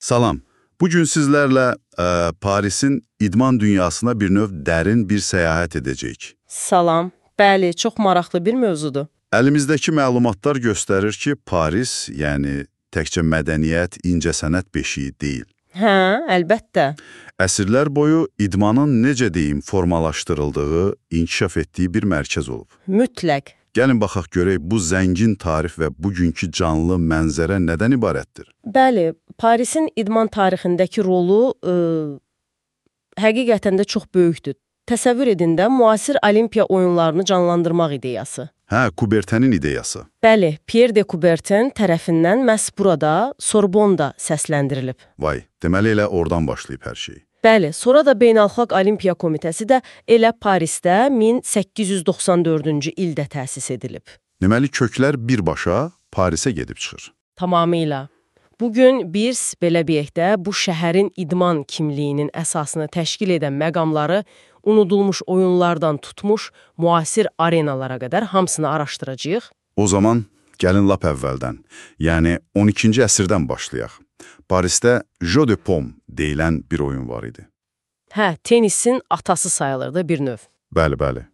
Salam. Bugün sizlərlə Parisin idman dünyasına bir növ dərin bir səyahət edəcəyik. Salam. Bəli, çox maraqlı bir mövzudur. Əlimizdəki məlumatlar göstərir ki, Paris, yəni təkcə mədəniyyət, incəsənət beşiyi deyil. Hə, əlbəttə. Əsrlər boyu idmanın necə deyim formalaşdırıldığı, inkişaf etdiyi bir mərkəz olub. Mütləq. Gəlin baxaq görək bu zəngin tarix və bugünkü canlı mənzərə nədən ibarətdir? Bəli, Parisin idman tarixindəki rolu həqiqətən də çox böyükdür. Təsəvvür edin də müasir Olimpiya oyunlarını canlandırmaq ideyası. Hə, Coubertin'in ideyası. Bəli, Pierre de Coubertin tərəfindən məhz burada Sorbonda səsləndirilib. Vay, deməli elə oradan başlayıb hər şey. Bəli, sonra da Beynəlxalq Olimpiya Komitəsi də elə Parisdə 1894-cü ildə təsis edilib. Deməli köklər birbaşa Parisə gedib çıxır. Tamamilə. Bugün biz belə deyək də bu şəhərin idman kimliyinin əsasını təşkil edən məqamları unudulmuş oyunlardan tutmuş müasir arenalara qədər hamısını araşdıracağıq. O zaman gəlin lap əvvəldən, yəni 12-ci əsrdən başlayaq. Parisdə Jeu de Paume deyilən bir oyun var idi. Hə, tenisin atası sayılırdı bir növ. Bəli.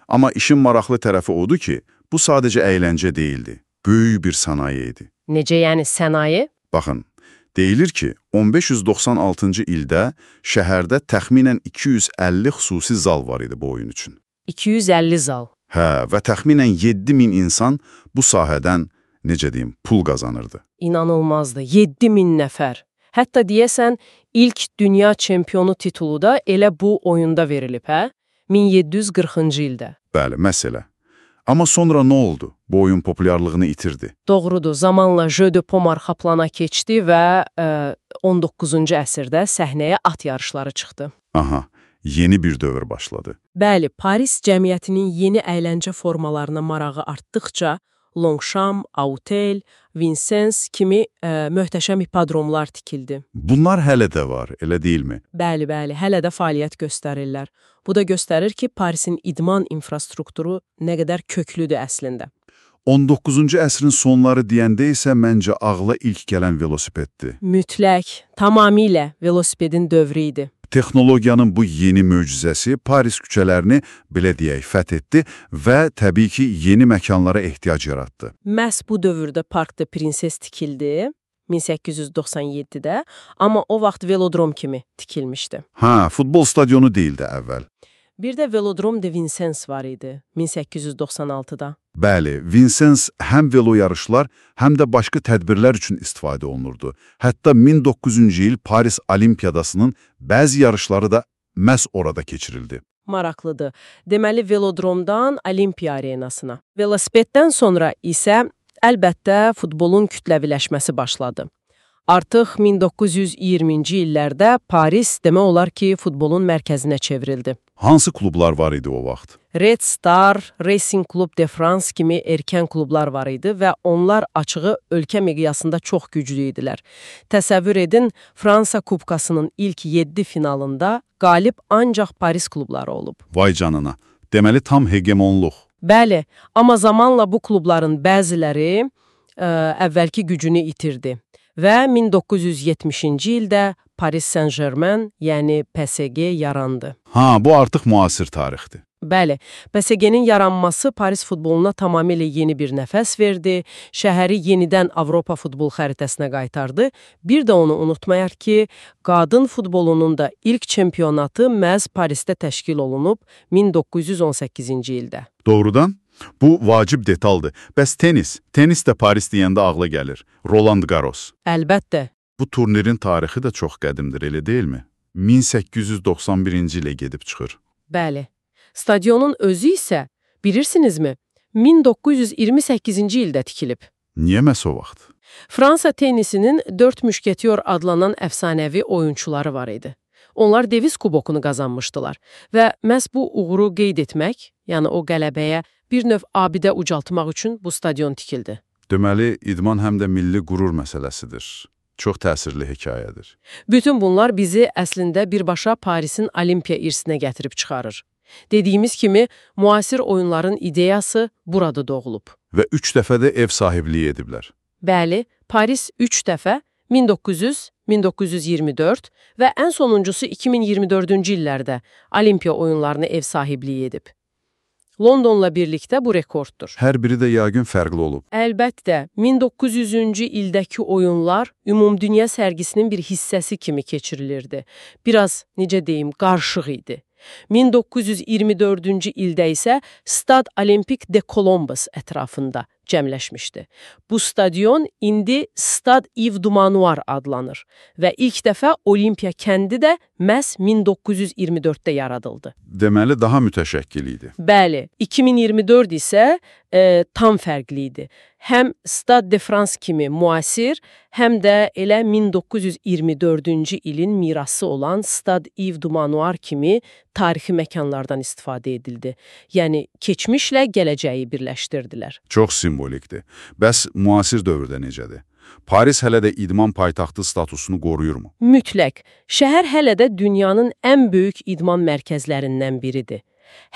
Amma işin maraqlı tərəfi odur ki, bu sadəcə əyləncə deyildi, böyük bir sənaye idi. Necə yəni sənaye? Baxın, deyilir ki, 1596-cı ildə şəhərdə təxminən 250 xüsusi zal var idi bu oyun üçün. 250 zal. Hə, və təxminən 7000 insan bu sahədən, necə deyim, pul qazanırdı. İnanılmazdı, 7000 nəfər. Hətta deyəsən, ilk dünya çempionu titulu da elə bu oyunda verilib, hə? 1740-cı ildə. Bəli, məsələ. Amma sonra nə oldu? Bu oyun populyarlığını itirdi. Doğrudur, zamanla Jeu de Paume arxa plana keçdi və 19-cu əsrdə səhnəyə at yarışları çıxdı. Aha, yeni bir dövr başladı. Bəli, Paris cəmiyyətinin yeni əyləncə formalarına marağı artdıqca Longchamp, Autel, Vincennes kimi möhtəşəm hipodromlar tikildi. Bunlar hələ də var, elə deyilmi? Bəli, hələ də fəaliyyət göstərirlər. Bu da göstərir ki, Parisin idman infrastrukturu nə qədər köklüdür əslində. 19-cu əsrin sonları deyəndə isə məncə ağla ilk gələn velosipeddir. Mütləq, tamamilə velosipedin dövrü idi. Texnologiyanın bu yeni möcüzəsi Paris küçələrini, belə deyək, fəth etdi və təbii ki, yeni məkanlara ehtiyac yaratdı. Məhz bu dövrdə Park de Princes tikildi, 1897-də, amma o vaxt velodrom kimi tikilmişdi. Hə, futbol stadionu deyildi əvvəl. Bir də Velodrom de Vincennes var idi, 1896-da. Bəli, Vincennes həm velo yarışlar, həm də başqa tədbirlər üçün istifadə olunurdu. Hətta 1900-cü il Paris Olimpiyadasının bəzi yarışları da məhz orada keçirildi. Maraqlıdır. Deməli, velodromdan Olimpiya arenasına. Velosipeddən sonra isə əlbəttə futbolun kütləviləşməsi başladı. Artıq 1920-ci illərdə Paris demək olar ki, futbolun mərkəzinə çevrildi. Hansı klublar var idi o vaxt? Red Star, Racing Club de France kimi erkən klublar var idi və onlar açığı ölkə miqyasında çox güclü idilər. Təsəvvür edin, Fransa Kubkasının ilk 7 finalında qalib ancaq Paris klubları olub. Vay canına, deməli tam hegemonluq. Bəli, amma zamanla bu klubların bəziləri əvvəlki gücünü itirdi. Və 1970-ci ildə Paris Saint-Germain, yəni PSG yarandı. Ha, bu artıq müasir tarixdir. Bəli, PSG-nin yaranması Paris futboluna tamamilə yeni bir nəfəs verdi, şəhəri yenidən Avropa futbol xəritəsinə qaytardı. Bir də onu unutmayaq ki, qadın futbolunun da ilk çempionatı məhz Parisdə təşkil olunub 1918-ci ildə. Doğrudan? Bu vacib detaldır. Bəs tenis də Paris deyəndə ağla gəlir. Roland Garros. Əlbəttə. Bu turnirin tarixi də çox qədimdir, elə deyilmi? 1891-ci ilə gedib çıxır. Bəli. Stadionun özü isə, bilirsinizmi, 1928-ci ildə tikilib. Niyə məhz o vaxt? Fransa tenisinin 4 müşketyor adlanan əfsanəvi oyunçuları var idi. Onlar Devis kubokunu qazanmışdılar və məhz bu uğuru qeyd etmək, yəni o qələbəyə bir növ abidə ucaltmaq üçün bu stadion tikildi. Deməli, idman həm də milli qürur məsələsidir. Çox təsirli hekayədir. Bütün bunlar bizi əslində birbaşa Parisin Olimpiya irsinə gətirib çıxarır. Dediyimiz kimi, müasir oyunların ideyası burada doğulub. Və 3 dəfə də ev sahibliyi ediblər. Bəli, Paris 3 dəfə 1900, 1924 və ən sonuncusu 2024-cü illərdə Olimpiya oyunlarına ev sahibliyi edib. Londonla birlikdə bu rekorddur. Hər biri də yəqin fərqli olub. Əlbəttə, 1900-cü ildəki oyunlar ümumdünya sərgisinin bir hissəsi kimi keçirilirdi. Biraz, necə deyim, qarışıq idi. 1924-cü ildə isə Stade Olympique de Columbus ətrafında cəmləşmişdi. Bu stadion indi Stade Yves du Manoir adlanır və ilk dəfə Olimpiya kəndi də məhz 1924-də yaradıldı. Deməli, daha mütəşəkkil idi. Bəli, 2024 isə tam fərqli idi. Həm Stade de France kimi müasir, həm də elə 1924-cü ilin mirası olan Stade Yves du Manoir kimi tarixi məkanlardan istifadə edildi. Yəni, keçmişlə gələcəyi birləşdirdilər. Çox simvolikdir. Bəs müasir dövrdə necədir? Paris hələ də idman paytaxtı statusunu qoruyurmu? Mütləq. Şəhər hələ də dünyanın ən böyük idman mərkəzlərindən biridir.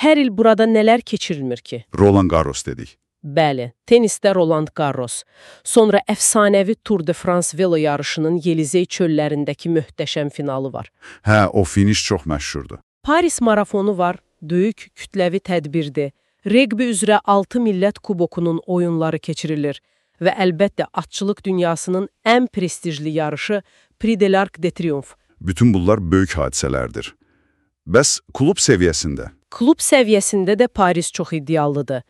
Hər il burada nələr keçirilmir ki? Roland Garros dedik. Bəli, tenisdə Roland Garros. Sonra əfsanəvi Tour de France velo yarışının Yelizey çöllərindəki möhtəşəm finalı var. Hə, o finiş çox məşhurdur. Paris marafonu var, böyük kütləvi tədbirdir. Reqbi üzrə 6 millət kubokunun oyunları keçirilir və əlbəttə atçılıq dünyasının ən prestijli yarışı Prix de l'Arc de Triomphe. Bütün bunlar böyük hadisələrdir. Bəs klub səviyyəsində? Klub səviyyəsində də Paris çox iddialıdır.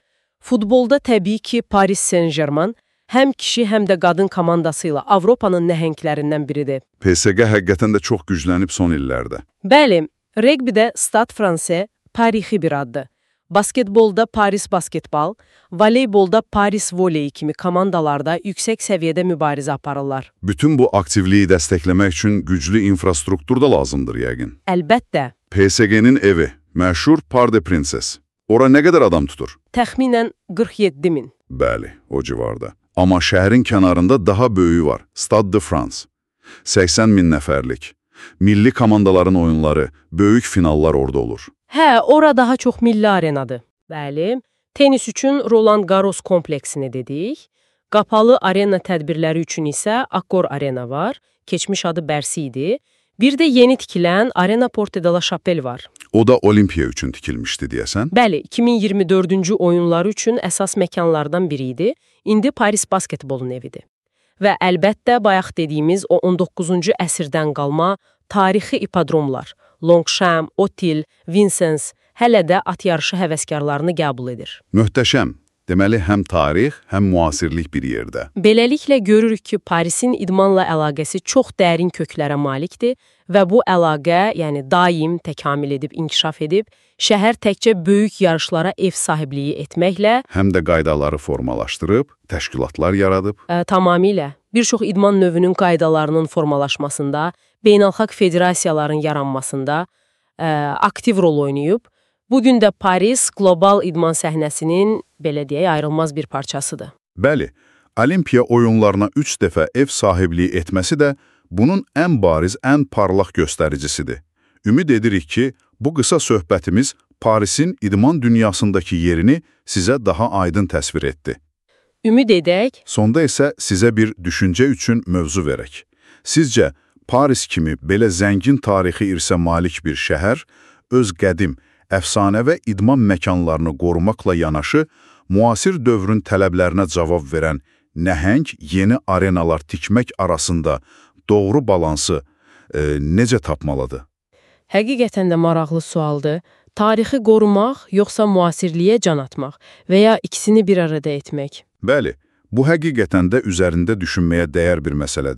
Futbolda təbii ki, Paris Saint-Germain həm kişi, həm də qadın komandası ilə Avropanın nəhənglərindən biridir. PSG həqiqətən də çox güclənib son illərdə. Bəli, reqbidə Stade Fransais tarixi bir addır. Basketbolda Paris Basketbol, voleybolda Paris Voley kimi komandalarda yüksək səviyyədə mübarizə aparırlar. Bütün bu aktivliyi dəstəkləmək üçün güclü infrastruktur da lazımdır yəqin. Əlbəttə. PSG-nin evi, məşhur Parc des Princes. Ora nə qədər adam tutur? Təxminən 47 min. Bəli, o civarda. Amma şəhərin kənarında daha böyüyü var, Stade de France. 80 min nəfərlik. Milli komandaların oyunları, böyük finallar orada olur. Hə, ora daha çox milli arenadır. Bəli, tenis üçün Roland Garros kompleksini dedik. Qapalı arena tədbirləri üçün isə Accor Arena var, keçmiş adı Bercy idi. Bir də yeni tikilən Arena Porte de la Chapelle var. O da Olimpiya üçün tikilmişdi deyəsən? Bəli, 2024-cü oyunları üçün əsas məkanlardan biri idi. İndi Paris basketbolun evidir. Və əlbəttə, bayaq dediyimiz o 19-cu əsrdən qalma tarixi ipodromlar, Longchamp, Otil, Vincennes hələ də at yarışı həvəskarlarını qəbul edir. Möhtəşəm. Deməli, həm tarix, həm müasirlik bir yerdə. Beləliklə görürük ki, Parisin idmanla əlaqəsi çox dərin köklərə malikdir və bu əlaqə, yəni daim təkamül edib, inkişaf edib, şəhər təkcə böyük yarışlara ev sahibliyi etməklə həm də qaydaları formalaşdırıb, təşkilatlar yaradıb. Tamamilə. Bir çox idman növünün qaydalarının formalaşmasında, beynəlxalq federasiyaların yaranmasında aktiv rol oynayıb. Bugün də Paris qlobal idman səhnəsinin, belə deyək, ayrılmaz bir parçasıdır. Bəli, Olimpiya oyunlarına 3 dəfə ev sahibliyi etməsi də bunun ən bariz, ən parlaq göstəricisidir. Ümid edirik ki, bu qısa söhbətimiz Parisin idman dünyasındakı yerini sizə daha aydın təsvir etdi. Ümid edək. Sonda isə sizə bir düşüncə üçün mövzu verək. Sizcə, Paris kimi belə zəngin tarixi irsə malik bir şəhər, öz qədim, əfsanə və idman məkanlarını qorumaqla yanaşı, müasir dövrün tələblərinə cavab verən nəhəng yeni arenalar tikmək arasında doğru balansı necə tapmalıdır? Həqiqətən də maraqlı sualdır. Tarixi qorumaq, yoxsa müasirliyə can atmaq və ya ikisini bir arada etmək? Bəli, bu həqiqətən də üzərində düşünməyə dəyər bir məsələdir.